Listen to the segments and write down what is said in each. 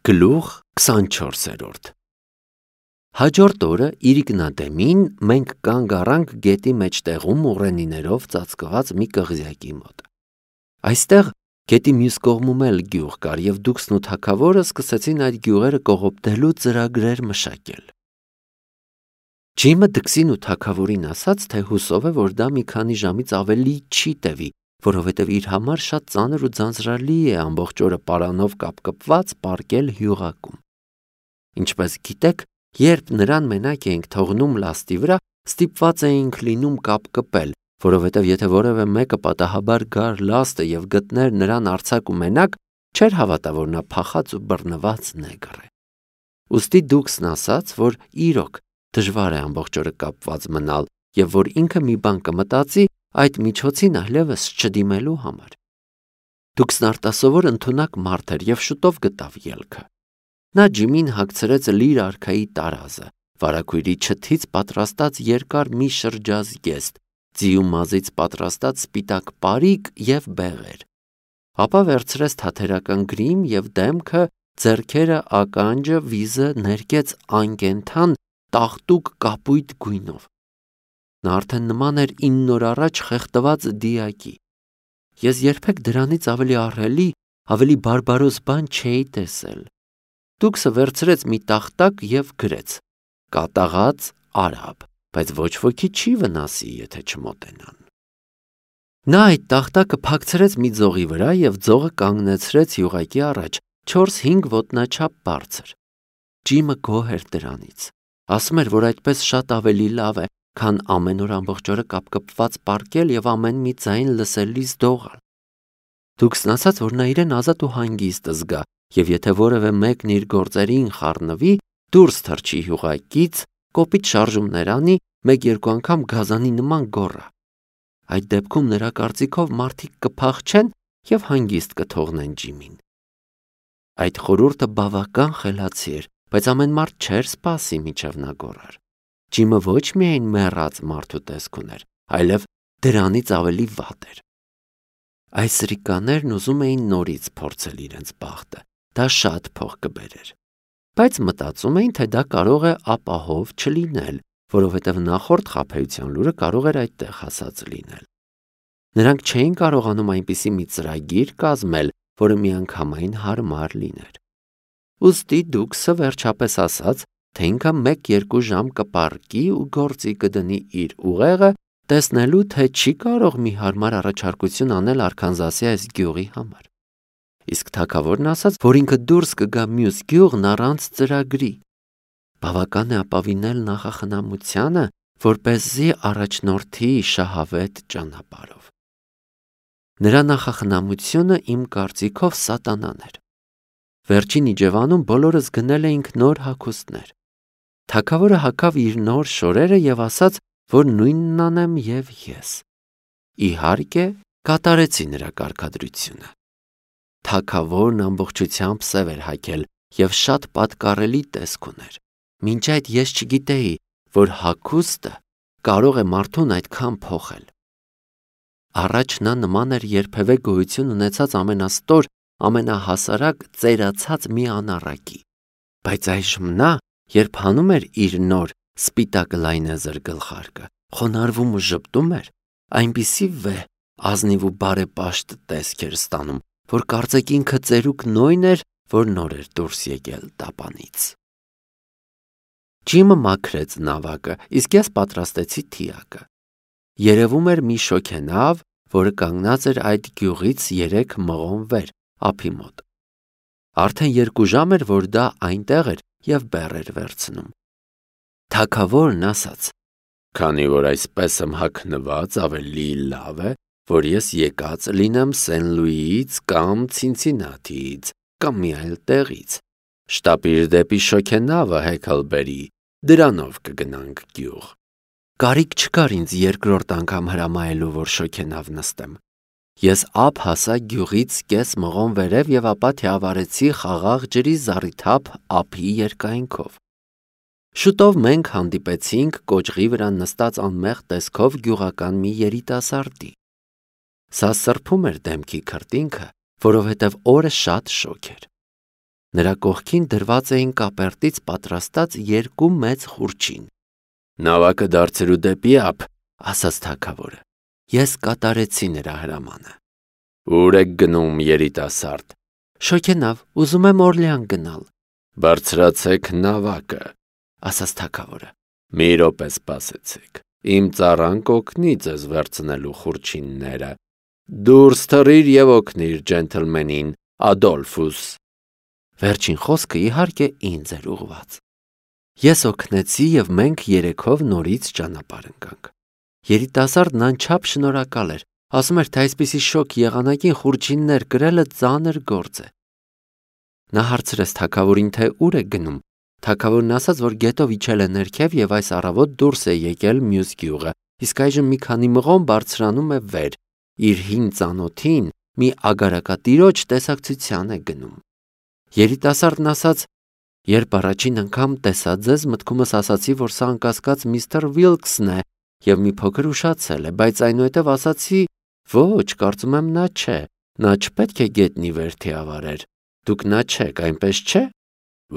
Գլուխ 24-րդ Հաջորդ օրը Իրիկնադեմին մենք կանգ առանք գետի մեջտեղում ուռենիներով ծածկված մի կղզյակի մոտ։ Այստեղ գետի մյուս կողմում էլ գյուղ կար, և դուքսն ու թագավորը սկսեցին այդ գյուղերը կողոպտելու ծրագրեր մշակել։ Ջիմը դքսին ու թագավորին ասաց, թե հուսով է, որ դա մի քանի ժամից ավելի չի տևի, որովհետև իր համար շատ ծանր ու ձանձրալի է ամբողջ օրը պարանով կապկպված պառկել հյուղակում։ Ինչպես գիտեք, երբ նրան մենակ էինք թողնում լաստի վրա, ստիպված էինք լինում կապկպել, որովհետև եթե որևէ մեկը պատահաբար գար լաստը և գտներ նրան արձակ ու մենակ, չէր հավատա, որ նա փախած ու բռնված նեգր է։ Ուստի դուքսն ասաց, որ իրոք դժվար է ամբողջ օրը կապված մնալ, և որ ինքը մի բան կմտածի այդ միջոցին այլևս չդիմելու համար։ Դուքսն արտասովոր ընդունակ մարդ էր և շուտով գտավ ելքը։ Նա Ջիմին հագցրեց լիր արքայի տարազը, վարագույրի չթից պատրաստած երկար մի շրջազգեստ, ձիու մազից պատրաստած սպիտակ պարիկ և բեղեր։ Ապա վերցրեց թաթերական գրիմ և դեմքը, ձեռքերը, ականջը, վիզը ներկեց անկենդան տաղտուկ կապույտ գույնով։ Նա արդեն նման էր 9 օր առաջ խեղդված դիակի։ Ես երբեք դրանից ավելի ահռելի, ավելի բարբարոս բան չէի տեսել։ Դուքսը վերցրեց մի տախտակ և գրեց. «Կատաղած արաբ, բայց ոչ ոքի չի վնասի, եթե չմոտենան»։ Նա այդ տախտակը փակցրեց մի ձողի վրա և ձողը կանգնեցրեց հյուղակի առաջ, 4-5 ոտնաչափ բարձր։ Ջիմը գոհ էր դրանից։ Ասում էր, որ այդպես շատ ավելի լավ է, քան ամեն օր ամբողջ օրը կապկպված պառկել և ամեն մի ձայն լսելիս դողալ։ Դուքսն ասաց, որ նա իրեն ազատ ու հանգիստ զգա, և եթե որևէ մեկն իր գործերին խառնվի, դուրս թռչի հյուղակից, կոպիտ շարժումներ անի, 1-2 անգամ գազանի նման գոռա։ Այդ դեպքում նրա կարծիքով մարդիկ կփախչեն և հանգիստ կթողնեն Ջիմին։ Այդ խորհուրդը բավական խելացի էր, բայց ամեն մարդ չէր սպասի, մինչև նա գոռար։ Ջիմը ոչ միայն մեռած մարդու տեսք ուներ, այլև դրանից ավելի վատ էր։ Այս սրիկաներն ուզում էին նորից փորձել իրենց բախտը, դա շատ փող կբերեր։ Բայց մտածում էին, թե դա կարող է ապահով չլինել, որովհետև նախորդ խաբեության լուրը կարող էր այդտեղ հասած լինել։ Նրանք չէին կարողանում այնպիսի մի ծրագիր կազմել, որը միանգամայն հարմար լիներ։ Ուստի դուքսը վերջապես ասաց, թե ինքը 1-2 ժամ կպառկի ու գործի կդնի իր ուղեղը, տեսնելու, թե չի կարող մի հարմար առաջարկություն անել Արքանզասի այս գյուղի համար։ Իսկ թագավորն ասաց, որ ինքը դուրս կգա մյուս գյուղն առանց ծրագրի։ Բավական է ապավինել նախախնամությանը, որպեսզի առաջնորդի շահավետ ճանապարհով։ Նրա նախախնամությունը իմ կարծիքով սատանան էր։ Վերջին իջևանում բոլորս գնել էինք նոր հագուստներ։ Թագավորը հագավ իր նոր շորերը և ասաց, որ նույնն անեմ և ես։ Իհարկե, կատարեցի նրա կարգադրությունը։ Թագավորն ամբողջությամբ սև էր հագել և շատ պատկառելի տեսք ուներ։ Մինչ այդ ես չգիտեի, որ հագուստը կարող է մարդուն այդքան փոխել։ Առաջ նա նման էր երբևէ գոյություն ունեցած ամենաստոր, ամենահասարակ ծերացած մի անառակի։ Բայց այժմ նա, երբ հանում էր իր նոր սպիտակ լայնեզր գլխարկը, խոնարհվում ու ժպտում էր, այնպիսի վեհ, ազնիվ ու բարեպաշտ տեսք էր ստանում, որ կարծեք ինքը ծերուկ Նոյն էր, որ նոր էր դուրս եկել տապանից։ Ջիմը մաքրեց նավակը, իսկ ես պատրաստեցի թիակը։ Երևում էր մի շոգենավ, որը կանգնած էր այդ գյուղից 3 մղոն վեր, ափի մոտ։ Արդեն 2 ժամ էր, որ դա այնտեղ էր և բեռ էր վերցնում։ Թագավորն ասաց. «Քանի որ այսպես եմ հագնված, ավելի լավ է, որ ես եկած լինեմ Սեն Լուիից կամ Ցինցինաթիից կամ մի այլ տեղից։ Շտապիր դեպի շոգենավը, Հեքլբերի, դրանով կգնանք գյուղ»։ Կարիք չկար ինձ երկրորդ անգամ հրամայելու, որ շոգենավ նստեմ։ Ես ափ հասա գյուղից կես մղոն վերև և ապա թիավարեցի խաղաղ ջրի զառիթափ ափի երկայնքով։ Շուտով մենք հանդիպեցինք կոճղի վրա նստած անմեղ տեսքով գյուղական մի երիտասարդի։ Սա սրբում էր դեմքի քրտինքը, որովհետև օրը շատ շոգ էր։ Նրա կողքին դրված էին կապերտից պատրաստած երկու մեծ խուրչին։ «Նավակը դարձրու դեպի ափ», ասաց թագավորը։ Ես կատարեցի նրա հրամանը։ «Ուր եք գնում, երիտասարդ»։ «Շոգենավ, ուզում եմ Օրլեան գնալ»։ «Բարձրացեք նավակը», ասաց թագավորը։ «Մի րոպե սպասեցեք, իմ ծառան կօգնի ձեզ վերցնելու խուրչինները։ Դուրս թռիր եւ օգնիր ջենթլմենին, Ադոլֆուս»։ Վերջին խոսքը իհարկե ինձ էր ուղղված։ Ես օգնեցի եւ մենք երեքով նորից ճանապարհ ընկանք։ Երիտասարդն անչափ շնորհակալ էր, ասում էր, թե այսպիսի շոգ եղանակին խուրչիններ կրելը ծանր գործ է։ Նա հարցրեց թագավորին, թե ուր է գնում։ Թագավորն ասաց, որ գետով իջել է ներքև եւ այս առավոտ դուրս է եկել մյուս գյուղը, իսկ այժմ մի քանի մղոն բարձրանում է վեր, իր հին ծանոթին մի ագարակատիրոջ տեսակցության է գնում։ Երիտասարդն ասաց. «Երբ առաջին անգամ տեսա ձեզ, մտքումս ասացի, որ սա անկասկած միստր Վիլքսն է եւ մի փոքր ուշացել է, բայց այնուհետեւ ասացի. ոչ, կարծում եմ նա չէ, նա չպետք է գետնի վերթի ավարեր։ Դուք նա չեք, այնպես չէ»։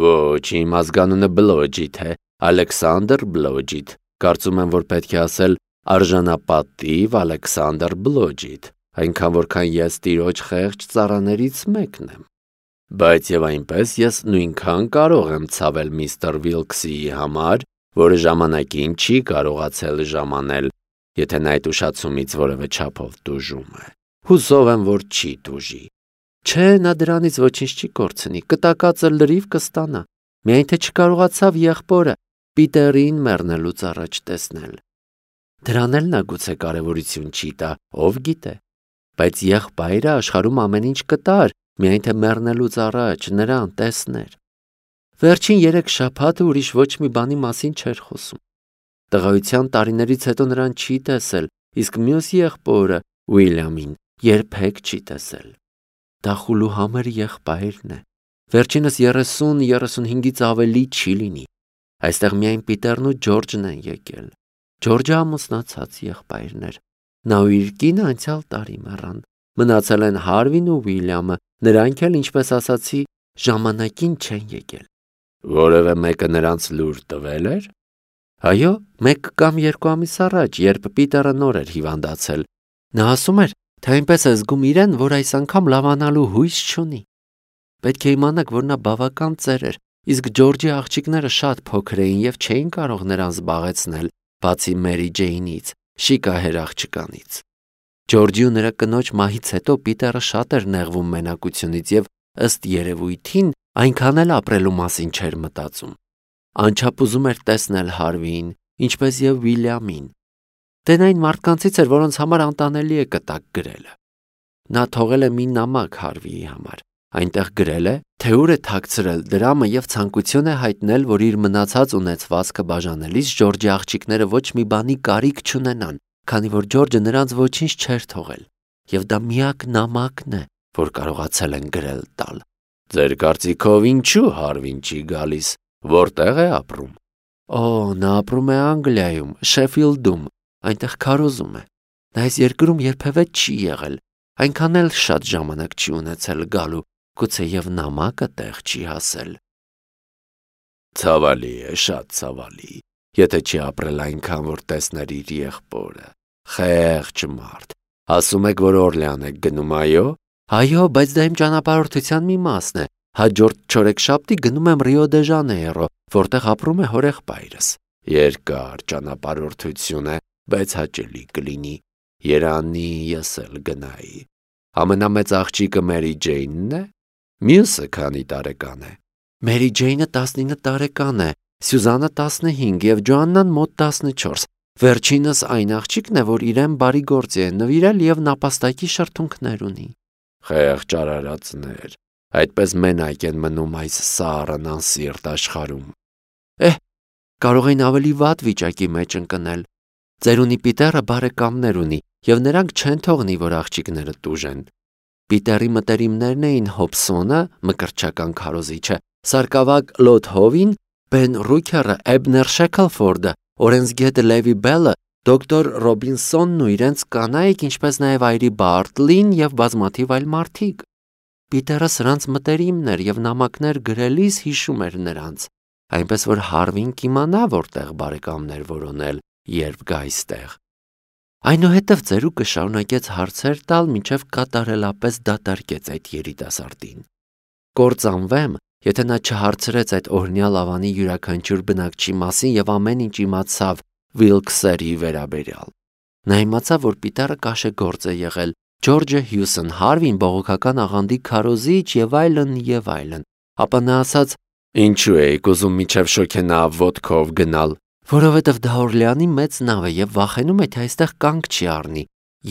«Ոչ, իմ ազգանունը Բլոջիթ է, Ալեքսանդր Բլոջիթ, կարծում եմ, որ պետք է ասել արժանապատիվ Ալեքսանդր Բլոջիթ, այնքան որքան ես տիրոջ խեղճ ծառաներից մեկն եմ։ Բայց եւ այնպես ես նույնքան կարող եմ ցավել միստր Վիլքսի համար, որը ժամանակին չի կարողացել ժամանել, եթե նա այդ ուշացումից որևէ չափով տուժում է։ Հուսով եմ, որ չի տուժի։ Չէ, նա դրանից ոչինչ չի կորցնի, կտակածը լրիվ կստանա, միայն թե չկարողացավ եղբորը Պիտերին մեռնելուց առաջ տեսնել։ Դրան էլ նա գուցե կարևորություն չի տա, ով գիտե, բայց եղբայրը աշխարհում ամեն ինչ կտար, միայն թե մեռնելուց առաջ նրան տեսներ։ Վերջին 3 շաբաթը ուրիշ ոչ մի բանի մասին չէր խոսում։ Տղայության տարիներից հետո նրան չի տեսել, իսկ մյուս եղբորը Ուիլյամին երբեք չի տեսել։ Դա խուլուհամր եղբայրն է։ Վերջինս 30-35-ից ավելի չի լինի։ Այստեղ միայն Պիտերն ու Ջորջն են եկել։ Ջորջը ամուսնացած եղբայրն էր։ Նա ու իր կինը անցյալ տարի մեռան։ Մնացել են Հարվին ու Ուիլյամը, նրանք էլ, ինչպես ասացի, ժամանակին չեն եկել։ Որևէ մեկը նրանց լուր տվել էր։ Այո, 1 կամ 2 ամիս առաջ, երբ Պիտերը նոր էր հիվանդացել։ Նա ասում էր, թե այնպես է զգում իրեն, որ այս անգամ լավանալու հույս չունի։ Պետք է իմանաք, որ նա բավական ծեր էր, իսկ Ջորջի աղջիկները շատ փոքր էին եւ չէին կարող նրան զբաղեցնել, բացի Մերի Ջեյնից, շիկահեր աղջկանից։ Ջորջի ու նրա կնոջ մահից հետո Պիտերը շատ էր նեղվում մենակությունից եւ ըստ երևույթին այնքան էլ ապրելու մասին չէր մտածում։ Անչափ ուզում էր տեսնել Հարվիին, ինչպես եւ Ուիլյամին։ Դեն այն մարդկանցից էր, որոնց համար անտանելի է կտակ գրելը։ Նա թողել է մի նամակ Հարվիի համար։ Այնտեղ գրել է, թե ուր է թաքցրել դրամը եւ ցանկություն է հայտնել, որ իր մնացած ունեցվածքը բաժանելիս Ջորջի աղջիկները ոչ մի բանի կարիք չունենան, քանի որ Ջորջը նրանց ոչինչ չէր թողել։ Եվ դա միակ նամակն է, որ կարողացել են գրել տալ։ Ձեր կարծիքով ինչու Հարվին չի գալիս, որտեղ է ապրում։ Օ, նա ապրում է Անգլիայում, Շեֆիլդում, այնտեղ քարոզում է։ Նա այս երկրում երբևէ չի եղել, այնքան էլ շատ ժամանակ չի ունեցել գալու, գուցե եւ նամակը տեղ չի հասել։ Ցավալի է, շատ ցավալի, եթե չի ապրել այնքան, որ տեսներ իր եղբորը։ Խեղճ մարդ։ Ասում եք, որ Օրլեան եք գնում, այո։ Այո, բայց դա իմ ճանապարհորդության մի մասն է։ Հաջորդ չորեքշաբթի գնում եմ Ռիո դե Ժանեյրո, որտեղ ապրում է հորեղբայրս։ Երկար ճանապարհորդություն է, բայց հաճելի կլինի։ Երանի ես էլ գնայի։ Ամենամեծ աղջիկը Մերի Ջեյնն է։ Մյուսը քանի տարեկան է։ Մերի Ջեյնը 19 տարեկան է, Սյուզանը 15 եւ Ջոաննան մոտ 14։ Վերջինս այն աղջիկն է, որ իրեն բարի գործի է նվիրել եւ նապաստակի շրթունքներ ունի։ Խեղճ արարածներ, այդպես մենակ են մնում այս սառն անսիրտ աշխարհում։ Կարող են ավելի վատ վիճակի մեջ ընկնել։ Ծերունի Պիտերը բարեկամներ ունի եւ նրանք չեն թողնի, որ աղջիկները տուժեն։ Պիտերի մտերիմներն էին Հոբսոնը, մկրտչական քարոզիչը, Սարկավակ Լոթհովին, Բեն Ռուքերը, Էբներ Շեքլֆորդը, օրենսգետը Լևի Բելը, դոկտոր Ռոբինսոնն ու իրենց կանայք, ինչպես նաև այրի Բարտլին եւ բազմաթիվ այլ մարդիկ։ Պիտերը սրանց մտերիմն էր և նամակներ գրելիս հիշում էր նրանց, այնպես որ Հարվին կիմանա որտեղ բարեկամներ որոնել, երբ գա այստեղ։ Այնուհետև ծերուկը շարունակեց հարցեր տալ, մինչև կատարելապես դատարկեց այդ երիտասարդին։ Կործանվեմ, եթե նա չհարցրեց այդ օրհնյալ ավանի յուրաքանչյուր բնակչի մասին և ամեն ինչ իմացավ Վիլքսերի վերաբերյալ։ Նա իմացավ, որ Պիտերը կաշեգործ է եղել, Ջորջը Հյուսն, Հարվին բողոքական աղանդի քարոզիչ և այլն, ապա նա ասաց. «Ինչու էիք ուզում մինչև շոգենա ոտքով գնալ, որովհետև դա Օրլեանի մեծ նավ է և վախենում է, թե այստեղ կանգ չի առնի,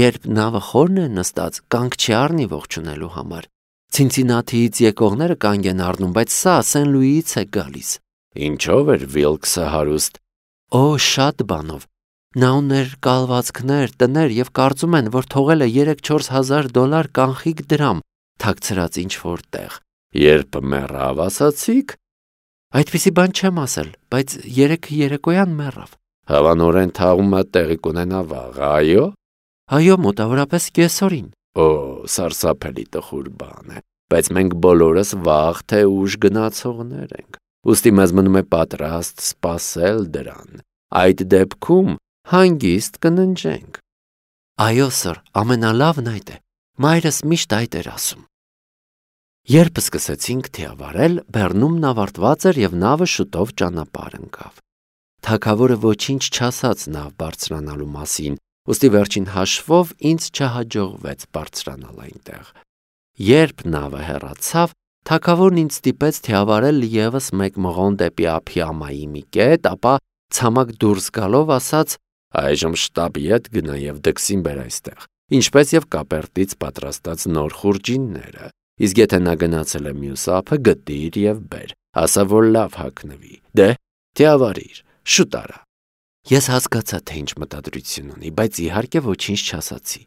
երբ նավը խորն է նստած, կանգ չի առնի ողջունելու համար։ Ցինցինաթիից եկողները կանգ են առնում, բայց սա Սեն Լուիից է գալիս»։ Ինչով էր Վիլքսը հարուստ։ Օ, շատ բանով։ Նա ուներ կալվածքներ, տներ և կարծում են, որ թողել է $3-4 հազար կանխիկ դրամ, թաքցրած ինչ-որ տեղ։ Երբ մեռավ, ասացիք։ Այդպիսի բան չեմ ասել, բայց երեկոյան մեռավ։ Հավանորեն թաղումը տեղի կունենա վաղ, այո։ Այո, մոտավորապես կեսօրին։ Օ, սարսափելի տխուր բան է, բայց մենք բոլորս վաղ թե ուշ գնացողներ ենք, ուստի մեզ մնում է պատրաստ սպասել դրան։ Այդ դեպքում հանգիստ կննջենք։ Այո, սըր, ամենալավն այդ է։ Մայրս միշտ այդ էր ասում։ Երբ սկսեցինք թիավարել, բեռնումն ավարտված էր և նավը շուտով ճանապարհ ընկավ։ Թագավորը ոչինչ չասաց նավ բարձրանալու մասին, ուստի վերջին հաշվով ինձ չհաջողվեց բարձրանալ այնտեղ։ Երբ նավը հեռացավ, թագավորն ինձ ստիպեց թիավարել ևս մեկ մղոն դեպի Ափիամայի մի կետ, ապա ցամաք դուրս գալով ասաց. «Այժմ շտապ ետ գնա և դքսին բեր այստեղ, ինչպես և կապերտից պատրաստած նոր խուրջինները, իսկ եթե նա գնացել է մյուս ափը, գտիր և բեր, ասա, որ լավ հագնվի, դե, թիավարիր, շուտ արա»։ Ես հասկացա, թե ինչ մտադրություն ունի, բայց իհարկե ոչինչ չասացի։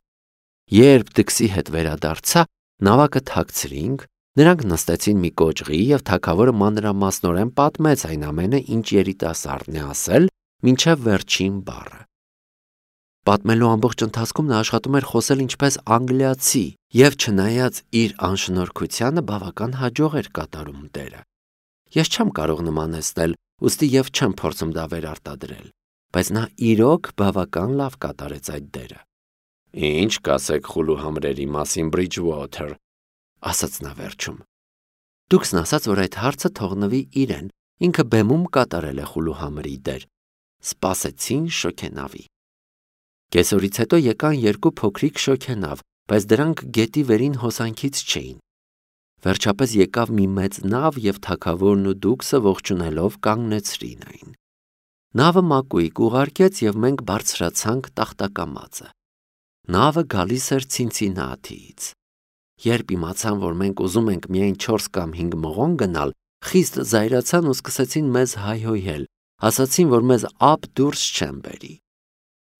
Երբ դքսի հետ վերադարձա, նավակը թաքցրինք, նրանք նստեցին մի կոճղի և թագավորը մանրամասնորեն պատմեց այն ամենը, ինչ երիտասարդն է ասել, մինչև վերջին բառը։ Պատմելու ամբողջ ընթացքում նա աշխատում էր խոսել ինչպես անգլիացի և չնայած իր անշնորհքությանը բավական հաջող էր կատարում դերը։ Ես չեմ կարող նմանեցնել, ուստի և չեմ փորձում դա վերարտադրել, բայց նա իրոք բավական լավ կատարեց այդ դերը։ Ինչ կասեք խուլուհամրերի մասին, Բրիջվոթեր, ասաց նա վերջում։ Դուքսն ասաց, որ այդ հարցը թողնվի իրեն, ինքը բեմում կատարել է խուլուհամրի դեր։ Սպասեցին շոգենավի։ Կեսօրից հետո եկան երկու փոքրիկ շոգենավ, բայց դրանք գետի վերին հոսանքից չէին։ Վերջապես եկավ մի մեծ նավ և թագավորն ու դուքսը ողջունելով կանգնեցրին այն։ Նավը մակույկ ուղարկեց և մենք բարձրացանք տախտակամածը։ Նավը գալիս էր Ցինցինաթիից։ Երբ իմացան, որ մենք ուզում ենք միայն 4 կամ 5 մղոն գնալ, խիստ զայրացան ու սկսեցին մեզ հայհոյել, ասացին, որ մեզ ափ դուրս չեն բերի։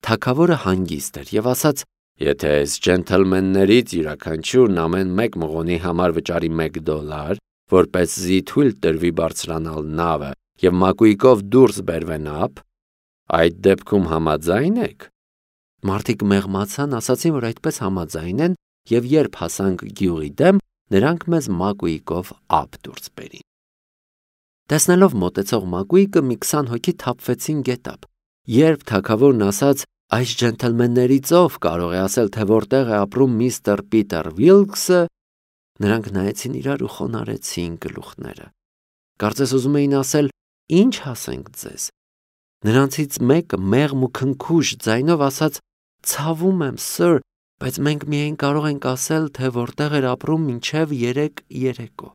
Թագավորը հանգիստ էր և ասաց. «Եթե այս ջենթլմեններից յուրաքանչյուրն ամեն մեկ մղոնի համար վճարի $1, որպեսզի թույլ տրվի բարձրանալ նավը և մակույկով դուրս բերվեն ափ, այդ դեպքում համաձա՞յն եք»։ Մարդիկ մեղմացան, ասացին, որ այդպես համաձայն են, և երբ հասանք գյուղի դեմ, նրանք մեզ մակույկով ափ դուրս բերին։ Տեսնելով մոտեցող մակույկը, մի 20 հոգի թափվեցին գետափ։ Երբ թագավորն ասաց. «Այս ջենթլմեններից ով կարող է ասել, թե որտեղ է ապրում միստր Պիտեր Վիլքսը», նրանք նայեցին իրար ու խոնարհեցին գլուխները։ Կարծես ուզում էին ասել. «Ինչ ասենք ձեզ»։ Նրանցից մեկը մեղմ ու քնքուշ ձայնով ասաց. «Ցավում եմ, սըր, բայց մենք միայն կարող ենք ասել, թե որտեղ էր ապրում մինչև 3 երեկո»։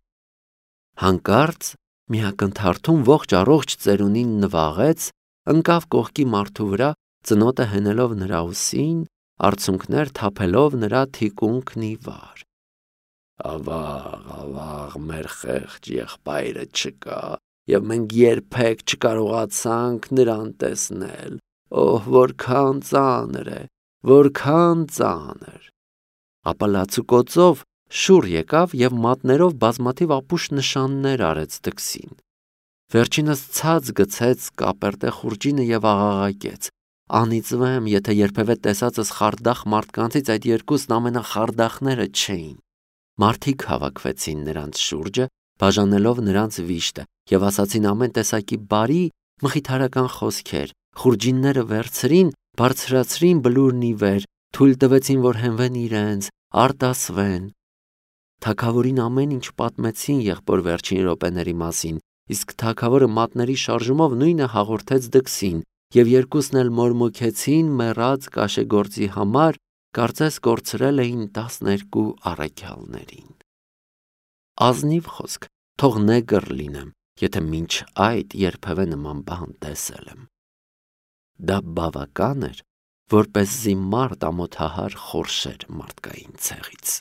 Հանկարծ մի ակնթարթում ողջ առողջ ծերունին նվաղեց, ընկավ կողքի մարդու վրա, ծնոտը հենելով նրա ուսին, արցունքներ թափելով նրա թիկունքն ի վար։ Ավաղ, ավաղ, մեր խեղճ եղբայրը չկա, և մենք երբեք չկարողացանք նրան տեսնել։ Օհ, որքան ծանր է, որքան ծանր։ Ապա լացուկոծով շուռ եկավ և մատներով բազմաթիվ ապուշ նշաններ արեց դքսին։ Վերջինս ցած գցեց կապերտե խուրջինը և աղաղակեց. «Անիծվեմ, եթե երբևէ տեսածս խարդախ մարդկանցից այդ երկուսն ամենախարդախները չէին»։ Մարդիկ հավաքվեցին նրանց շուրջը, բաժանելով նրանց վիշտը, եւ ասացին ամեն տեսակի բարի մխիթարական խոսքեր, խուրջինները վերցրին, բարձրացրին բլուրն ի վեր, թույլ տվեցին, որ հենվեն իրենց, արտասվեն։ Թագավորին ամեն ինչ պատմեցին եղբոր վերջին րոպեների մասին, իսկ թագավորը մատների շարժումով նույնը հաղորդեց դքսին, եւ երկուսն էլ մորմոքեցին մեռած կաշեգործի համար, կարծես կորցրել էին 12 առաքյալներին։ Ազնիվ խոսք, թող նեգր լինեմ, եթե մինչ այդ երբևէ նման բան տեսել եմ։ Դա բավական էր, որպեսզի մարդ ամոթահար խորշեր մարդկային ցեղից։